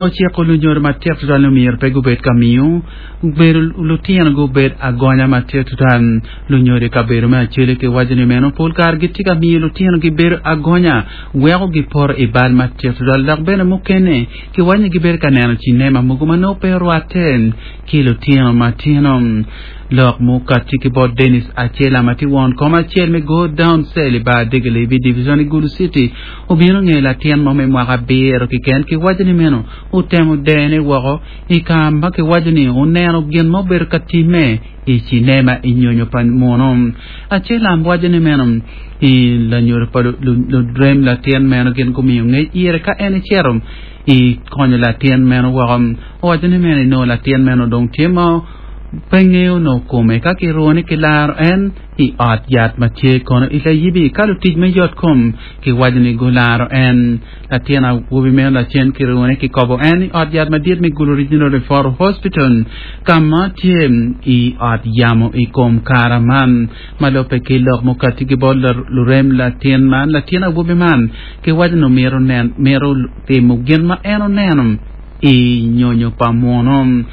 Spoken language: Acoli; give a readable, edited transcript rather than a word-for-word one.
Ociko lunyodo matek tutwal ni omyero pe gubed ka miyo bedo lutino gubed agonya matek tutwal. Lunyodo i kabedo me Acholi kiwaco ni meno pol kare gitye ka miyo lutino gibedo agonya weko gipoto i bal matek tutwal dok bene mukene kiwaco ni gibedo ka neno cinema mogo ma nongo pe orwatte ki lutino matino. Lok mukati ki bot Dennis Acela ma tye won kom acel me Go Down Cell i bar Degelebi Division i Gulu City obino nge latin mo me mwaka abiro kiken kiwaco ni meno otemo dene woko i ka ma kiwaco ni oneno gin ma obedo ka timme i cinema i nyonyo pa munu. Acelam waco ni meno i lanyodo pa lurem latin meno gin gumiyo ngec ire ka en ecito i konyo latin meno woko. Owaco ni meno inongo latin meno dong tye ma pe ngeyo nongo kome ka kirune kilaro en i ot yat ma tye kono i layibi ka lutic me yot kom kiwaco ni gularo en. Latin awobi meno lacen kirune kikobo en i ot yat madit me Gulu Regional Referral Hospital ka ma tye i ot yamo i kom kara man. Ma lubbe ki lok mukati ki bot lurem latin man, latin awobi man kiwaco ni mito timo gin ma en oneno i nyonyo pa munu.